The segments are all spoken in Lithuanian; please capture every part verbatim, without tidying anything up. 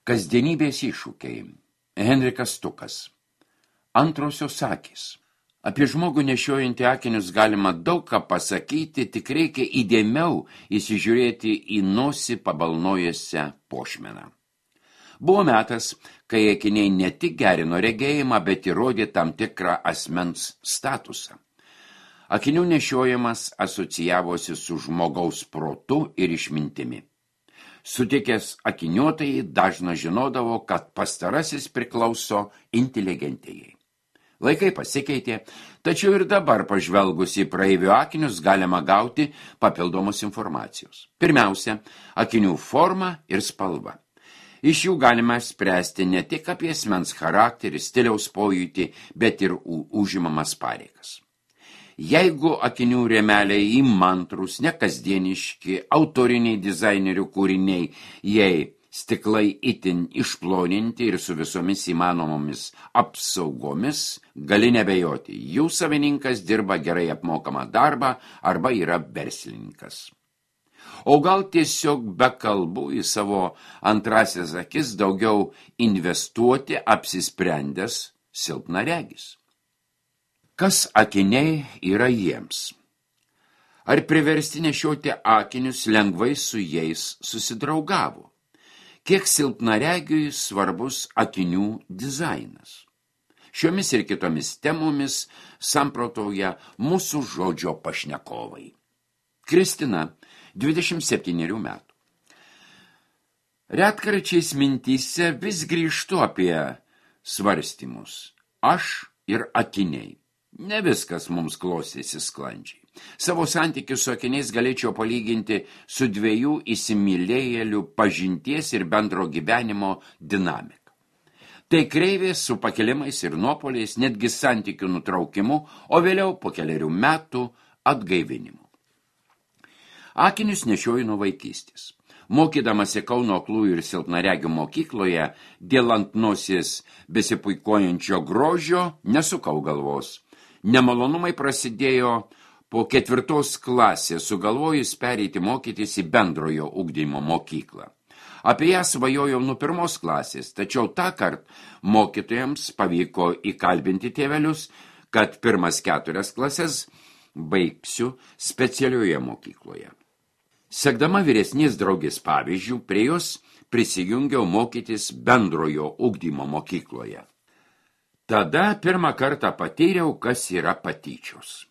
Kasdienybės iššūkiai. Henrikas Stukas. Antrosios akys. Apie žmogų nešiojantį akinius galima daug ką pasakyti, tik reikia įdėmiau įsižiūrėti į nosį pabalnojusią pošmeną. Buvo metas, kai akiniai ne tik gerino regėjimą, bet ir rodė tam tikrą asmens statusą. Akinių nešiojimas asocijavosi su žmogaus protu ir išmintimi. Sutikęs akiniuotojai dažnas žinodavo, kad pastarasis priklauso inteligentijai. Laikai pasikeitė, tačiau ir dabar pažvelgus į praeivių akinius galima gauti papildomos informacijos. Pirmiausia, akinių forma ir spalva. Iš jų galima spręsti ne tik apie asmens charakterį, stiliaus pojūtį, bet ir užimamas pareigas. Jeigu akinių rėmeliai įmantrus, nekasdieniški, autoriniai dizainerių kūriniai, jei stiklai itin išploninti ir su visomis įmanomomis apsaugomis, gali nebejoti, jų savininkas dirba gerai apmokamą darbą arba yra verslininkas. O gal tiesiog be kalbų į savo antrasis akis daugiau investuoti apsisprendęs silpnaregis. Kas akiniai yra jiems? Ar priversti nešioti akinius lengvai su jais susidraugavo? Kiek silpnaregiui svarbus akinių dizainas? Šiomis ir kitomis temomis samprotauja mūsų žodžio pašnekovai. Kristina, dvidešimt septynerių metų. Retkarčiais mintyse vis grįžtu apie svarstymus. Aš ir akiniai. Ne viskas mums klostėsi sklandžiai. Savo santykius su akiniais galėčiau palyginti su dviejų įsimylėjėlių pažinties ir bendro gyvenimo dinamika. Tai kreivės su pakilimais ir nuopoliais, netgi santykių nutraukimu, o vėliau po keliarių metų atgaivinimu. Akinius nešioju nuo vaikystės. Mokydamasi Kauno aklųjų ir silpnaregių mokykloje, dėl ant nosies besipuikuojančio grožio nesukau galvos. Nemalonumai prasidėjo po ketvirtos klasės, sugalvojus pereiti mokytis į bendrojo ugdymo mokyklą. Apie ją svajojau nuo pirmos klasės, tačiau tąkart mokytojams pavyko įkalbinti tėvelius, kad pirmas keturias klases baigsiu specialioje mokykloje. Sekdama vyresnės draugės pavyzdžių, prie jos prisijungiau mokytis bendrojo ugdymo mokykloje. Tada pirmą kartą patyriau, kas yra patyčios.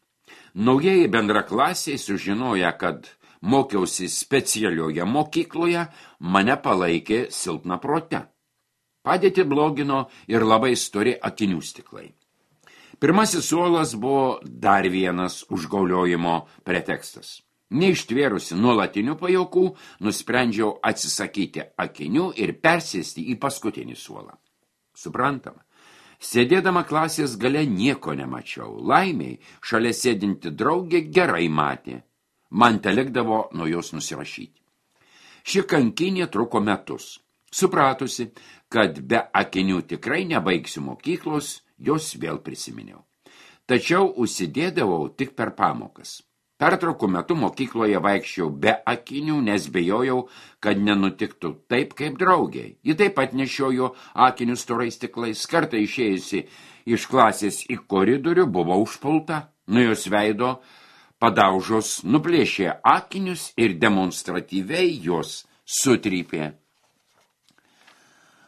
Naujieji bendraklasiai sužinoję, kad mokiausi specialioje mokykloje, mane palaikė silpna prote. Padėtį blogino ir labai stori akinių stiklai. Pirmasis suolas buvo dar vienas užgauliojimo pretekstas. Neištvėrusi nuolatinių pajokų, nusprendžiau atsisakyti akinių ir persėsti į paskutinį suolą. Suprantama. Sėdėdama klasės gale nieko nemačiau. Laimiai, šalia sėdinti draugė gerai matė. Man telikdavo nuo jos nusirašyti. Ši kankinė truko metus. Supratusi, kad be akinių tikrai nebaigsiu mokyklos, jos vėl prisiminiau. Tačiau užsidėdavau tik per pamokas. Pertraukų metu mokykloje vaikščiau be akinių, nes bejojau, kad nenutiktų taip kaip draugiai. Ji taip pat nešiojo akinius storais stiklais. Kartą išėjusi iš klasės į koridorių buvo užpulta, nuo jos veido padaužos nuplėšė akinius ir demonstratyviai jos sutrypė.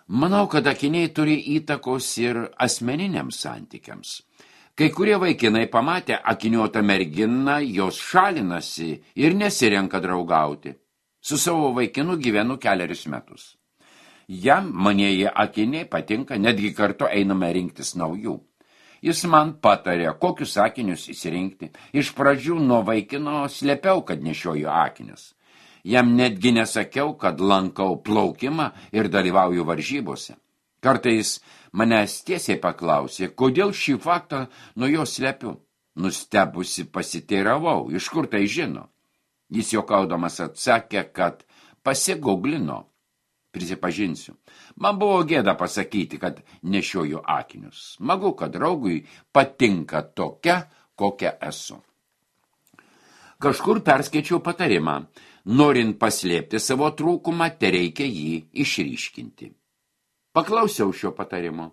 Manau, kad akiniai turi įtakos ir asmeniniams santykiams. Kai kurie vaikinai pamatę akiniuotą merginą, jos šalinasi ir nesirenka draugauti. Su savo vaikinu gyvenu keliarius metus. Jam manieji akiniai patinka, netgi kartu einame rinktis naujų. Jis man patarė, kokius akinius įsirinkti. Iš pradžių nuo vaikino slėpiau, kad nešioju akinius. Jam netgi nesakiau, kad lankau plaukimą ir dalyvauju varžybose. Kartais manęs tiesiai paklausė, kodėl šį faktą nuo jo slepiu. Nustebusi pasiteiravau, iš kur tai žino. Jis juokaudamas atsakė, kad pasigooglino. Prisipažinsiu, man buvo gėda pasakyti, kad nešioju akinius. Smagu, kad draugui patinka tokia, kokia esu. Kažkur perskaičiau patarimą. Norint paslėpti savo trūkumą, tereikia jį išryškinti. Paklausiau šio patarimo.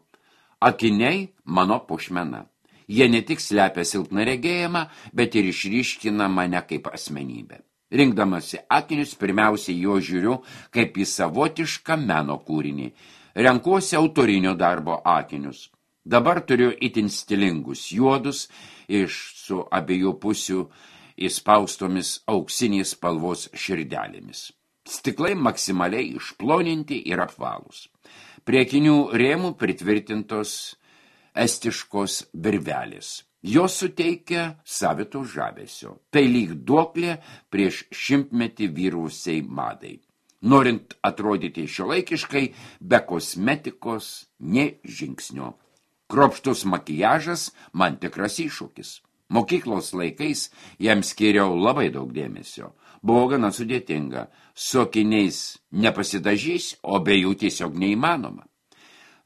Akiniai mano puošmena. Jie ne tik slepia silpną regėjimą, bet ir išryškina mane kaip asmenybę. Rinkdamasi akinius, pirmiausiai jo žiūriu kaip į savotišką meno kūrinį. Renkuosi autorinio darbo akinius. Dabar turiu itin stilingus juodus iš su abiejų pusių įspaustomis auksinės spalvos širdelėmis. Stiklai maksimaliai išploninti ir apvalūs. Prie akinių rėmų pritvirtintos estiškos virvelės. Jos suteikia savito žavesio. Tai lyg duoklė prieš šimtmetį vyrusiai madai. Norint atrodyti šiuolaikiškai, be kosmetikos, nė žingsnio. Kruopštus makijažas man tikras iššūkis. Mokyklos laikais jam skiriau labai daug dėmesio. Buvo gana sudėtinga. Su akiniais nepasidažys, o be jų tiesiog neįmanoma.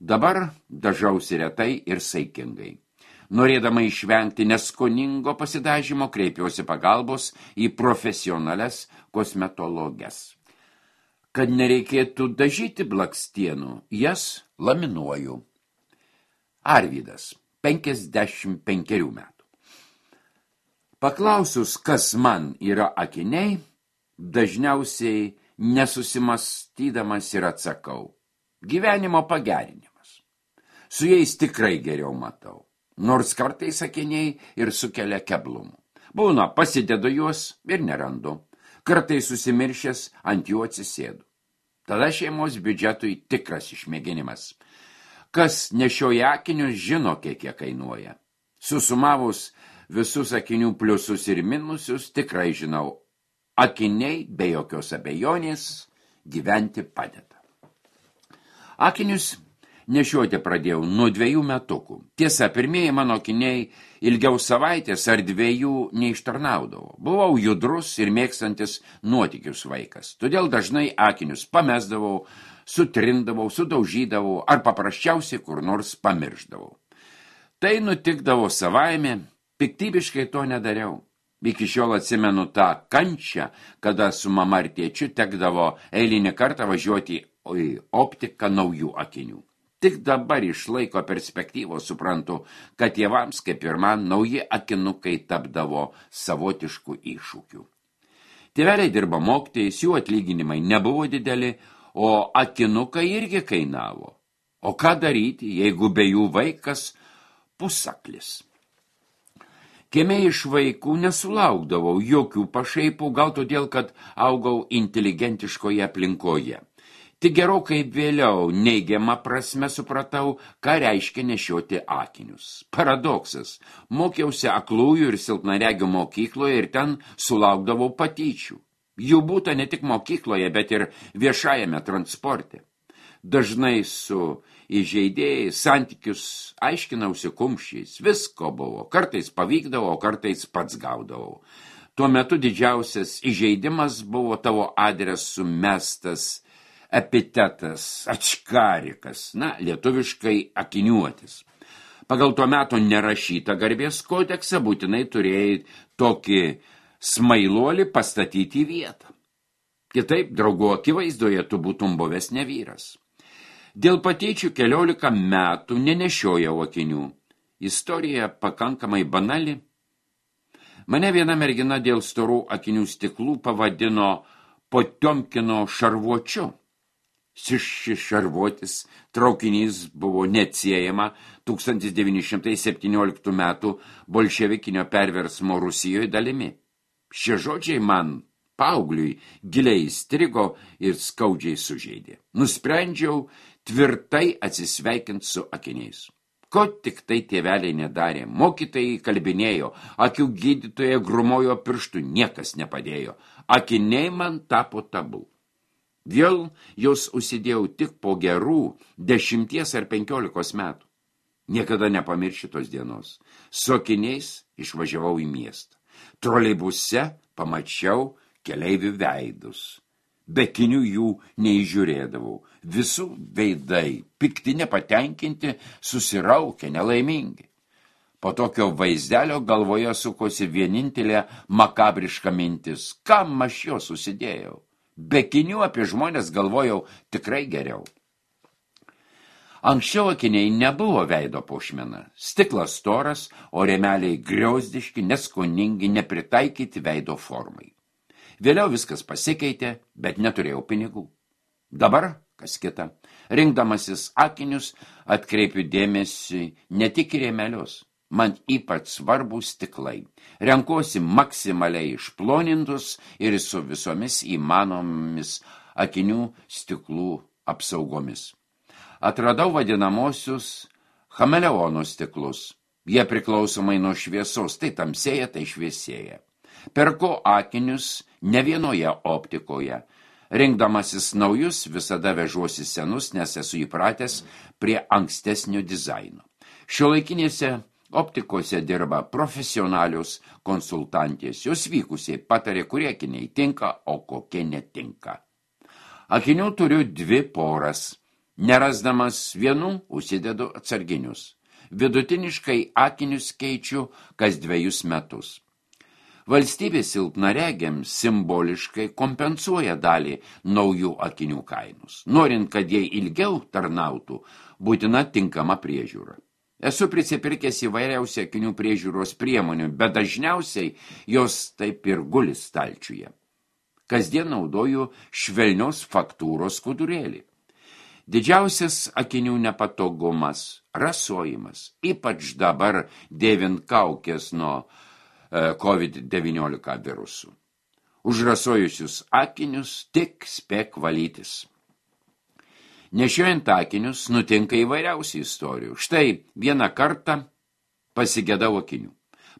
Dabar dažausi retai ir saikingai. Norėdama išvengti neskoningo pasidažymo, kreipiuosi pagalbos į profesionales kosmetologes. Kad nereikėtų dažyti blakstienų, jas laminuoju. Arvydas, penkiasdešimt penkerių metų. Paklausus, kas man yra akiniai, dažniausiai nesusimastydamas ir atsakau. Gyvenimo pagerinimas. Su jais tikrai geriau matau, nors kartais akiniai ir sukelia keblumų. Būna, pasidedu juos ir nerandu. Kartais susimiršęs ant jų atsisėdu. Tada šeimos biudžetui tikras išmėginimas. Kas nešioja akinius, žino, kiek jie kainuoja. Susumavus visus akinių pliusus ir minusus, tikrai žinau, akiniai be jokios abejonės gyventi padeda. Akinius nešioti pradėjau nuo dviejų metukų. Tiesa, pirmieji mano akiniai ilgiau savaitės ar dviejų neištarnaudavo. Buvau judrus ir mėgstantis nuotykius vaikas. Todėl dažnai akinius pamesdavau, sutrindavau, sudaužydavau ar paprasčiausiai kur nors pamiršdavau. Tai nutikdavo savaime, piktybiškai to nedariau. Iki šiol atsimenu tą kančią, kada su mama ir tėčiu tekdavo eilinį kartą važiuoti į optiką naujų akinių. Tik dabar iš laiko perspektyvos suprantu, kad tėvams, kaip ir man, nauji akinukai tapdavo savotiškų iššūkių. Tėveliai dirba mokytojais, jų atlyginimai nebuvo dideli, o akinukai irgi kainavo. O ką daryti, jeigu be jų vaikas pusaklis? Kieme iš vaikų nesulaukdavau jokių pašaipų, gal todėl, kad augau inteligentiškoje aplinkoje. Tik gerokai vėliau neigiamą prasme supratau, ką reiškia nešioti akinius. Paradoksas. Mokiausi aklųjų ir silpnaregių mokykloje ir ten sulaukdavau patyčių. Jų būta ne tik mokykloje, bet ir viešajame transporte. Dažnai su įžeidėjais santykius aiškinausi kumščiais. Visko buvo. Kartais pavykdavo, kartais pats gaudavau. Tuo metu didžiausias įžeidimas buvo tavo adresu mestas epitetas, ačkarikas, na, lietuviškai akiniuotis. Pagal tuo metu nerašytą garbės kodeksą būtinai turėjai tokį smailuolį pastatyti į vietą. Kitaip, draugų akivaizdoje tu būtum buvęs ne vyras. Dėl patyčių keliolika metų nenešiojau akinių. Istorija pakankamai banali. Mane viena mergina dėl storų akinių stiklų pavadino Potiomkino šarvuočiu. Šis šarvuotis traukinys buvo neatsiejama tūkstantis devyni šimtai septynioliktų metų bolševikinio perversmo Rusijoje dalimi. Šie žodžiai man, paaugliui, giliai įstrigo ir skaudžiai sužeidė. Nusprendžiau tvirtai atsisveikinti su akiniais. Ko tik tai tėveliai nedarė, mokytojai kalbinėjo, akių gydytoje grumojo pirštų, niekas nepadėjo. Akiniai man tapo tabu. Vėl jos užsidėjau tik po gerų dešimties ar penkiolikos metų. Niekada nepamiršiu tos dienos. Su akiniais išvažiavau į miestą. Troleibuse pamačiau keleivių veidus. Be akinių jų neįžiūrėdavau. Visų veidai, pikti nepatenkinti, susiraukę, nelaimingi. Po tokio vaizdelio galvoje sukosi vienintelė makabriška mintis. Kam aš jo susidėjau? Be akinių apie žmonės galvojau tikrai geriau. Anksčiau akiniai nebuvo veido puošmena. Stiklas storas, o rėmeliai griauzdiški, neskoningi, nepritaikyti veido formai. Vėliau viskas pasikeitė, bet neturėjau pinigų. Dabar, kas kita, rinkdamasis akinius, atkreipiu dėmesį ne tik į rėmelius. Man ypač svarbus stiklai. Renkuosi maksimaliai išplonintus ir su visomis įmanomis akinių stiklų apsaugomis. Atradau vadinamosius chameleonų stiklus. Jie priklausomai nuo šviesos, tai tamsėja, tai šviesėja. Perku akinius ne vienoje optikoje. Rinkdamasis naujus visada vežuosi senus, nes esu įpratęs prie ankstesnio dizaino. Šiuolaikinėse optikose dirba profesionalius konsultantės. Jos vykusiai patarė, kurie akiniai tinka, o kokie netinka. Akinių turiu dvi poras. Nerasdamas vienų, užsidedu atsarginius. Vidutiniškai akinius keičiu kas dvejus metus. Valstybė silpnaregiams simboliškai kompensuoja dalį naujų akinių kainus. Norint, kad jie ilgiau tarnautų, būtina tinkama priežiūra. Esu prisipirkęs įvairiausių akinių priežiūros priemonių, bet dažniausiai jos taip ir guli stalčiuje. Kasdien naudoju švelnios faktūros skudurėlį. Didžiausias akinių nepatogumas – rasojimas, ypač dabar dėvint kaukės nuo COVID devyniolika virusų. Užrasojusius akinius tik spėk valytis. Nešiojant akinius nutinka įvairiausių istorijų. Štai vieną kartą pasigedau akinių.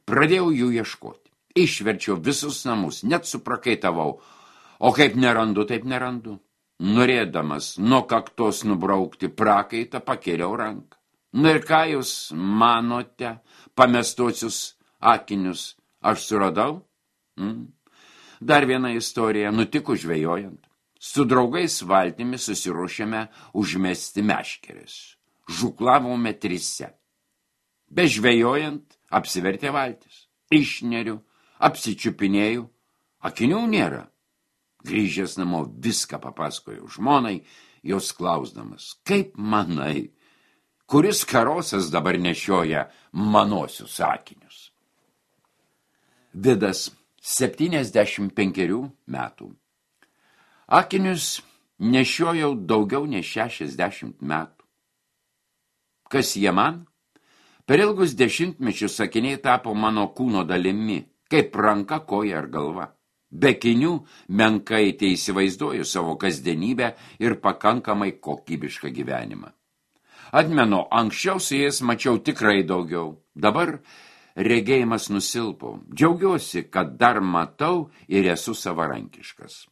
Pradėjau jų ieškoti. Išverčiau visus namus, net suprakaitavau. O kaip nerandu, taip nerandu. Norėdamas nuo kaktos nubraukti prakaitą, pakėliau ranką. Na ir ką jūs manote, pamestosius akinius aš suradau? Mm. Dar viena istorija nutiko žvejojant. Su draugais valtimi susiruošėme užmesti meškeres. Žuklavome trise. Bežvejojant apsivertė valtis. Išneriu, apsičiupinėjau, akinių nėra. Grįžęs namo viską papasakojau žmonai, jos klausdamas, kaip manai, kuris karosas dabar nešioja manosius akinius? Vidas, septyniasdešimt penkerių metų. Akinius nešiojau daugiau nei šešiasdešimt metų. Kas jie man? Per ilgus dešimtmečius akiniai tapo mano kūno dalimi, kaip ranka, koja ar galva. Be akinių menkai teįsivaizduoju savo kasdienybę ir pakankamai kokybišką gyvenimą. Atmenu, anksčiau su jais mačiau tikrai daugiau. Dabar regėjimas nusilpo. Džiaugiuosi, kad dar matau ir esu savarankiškas.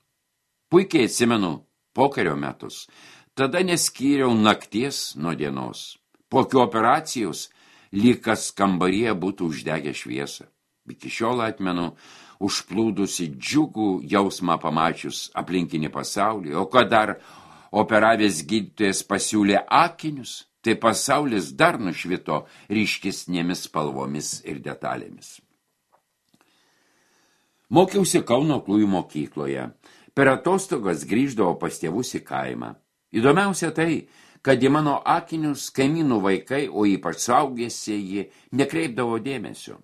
Puikiai atsimenu pokario metus. Tada neskyriau nakties nuo dienos. Po operacijos lyg kas kambaryje būtų uždegę šviesą. Iki šiol atmenu užplūdusi džiugų jausmą pamačius aplinkinį pasaulį, o kad dar operavęs gydytojas pasiūlė akinius, tai pasaulis dar nušvito ryškesnėmis spalvomis ir detalėmis. Mokiausi Kauno aklųjų mokykloje. Per atostogas grįždavo pas tėvus į kaimą. Įdomiausia tai, kad į mano akinius kaimynų vaikai, o ypač suaugėsieji, nekreipdavo dėmesio.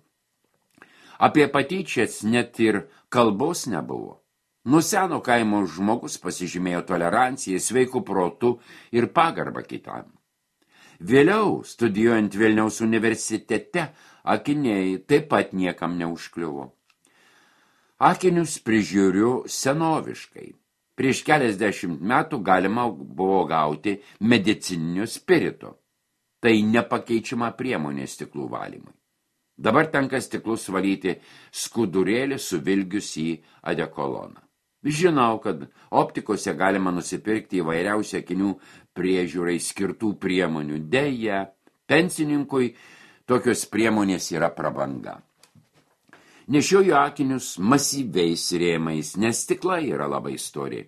Apie patyčias net ir kalbos nebuvo. Nuo seno kaimo žmogus pasižymėjo toleranciją, sveikų protų ir pagarbą kitam. Vėliau, studijuojant Vilniaus universitete, akiniai taip pat niekam neužkliuvo. Akinius prižiūriu senoviškai. Prieš keliasdešimt metų galima buvo gauti medicininio spirito. Tai nepakeičiama priemonė stiklų valymui. Dabar tenka stiklus valyti skudurėlį suvilgius į adekoloną. Žinau, kad optikose galima nusipirkti įvairiausių akinių priežiūrai skirtų priemonių. Deja, pensininkui tokios priemonės yra prabanga. Nešioju akinius masyviais rėmais, nes stiklai yra labai stori.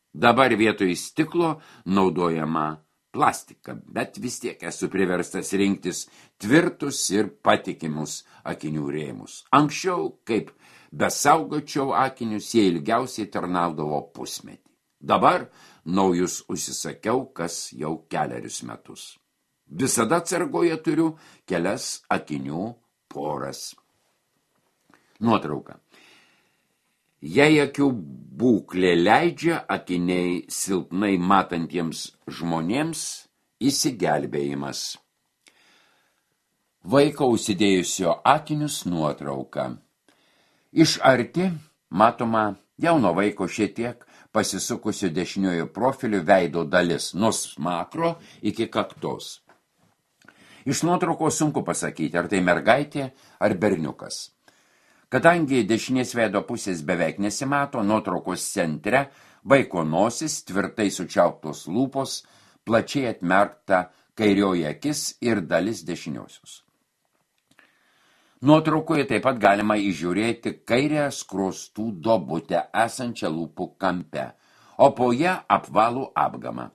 Dabar vietoj stiklo naudojama plastika, bet vis tiek esu priverstas rinktis tvirtus ir patikimus akinių rėmus. Anksčiau, kaip besaugočiau akinius, jie ilgiausiai tarnaudavo pusmetį. Dabar naujus užsisakiau kas jau kelerius metus. Visada atsargoje turiu kelias akinių poras. Nuotrauka. Jei akių būklė leidžia, akiniai silpnai matantiems žmonėms įsigelbėjimas. Vaiko užsidėjusio akinius nuotrauka. Iš arti matoma jauno vaiko šiek tiek pasisukusio dešiniojo profilio veido dalis, nuo smakro iki kaktos. Iš nuotraukos sunku pasakyti, ar tai mergaitė ar berniukas. Kadangi dešinės veido pusės beveik nesimato, nuotraukos centre vaiko nosis, tvirtai sučiauptos lūpos, plačiai atmerkta kairioji akis ir dalis dešiniosios. Nuotraukoje taip pat galima įžiūrėti kairę skruostų duobutę esančią lūpų kampe, o po ją apvalų apgamą.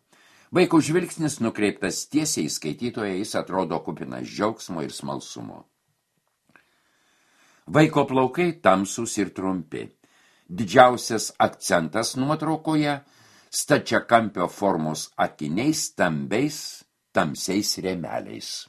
Vaiko žvilgsnis nukreiptas tiesiai į skaitytoją, jis atrodo kupinas džiaugsmo ir smalsumo. Vaiko plaukai tamsūs ir trumpi. Didžiausias akcentas nuotraukoje – stačiakampio formos akiniai stambiais tamsiais rėmeliais.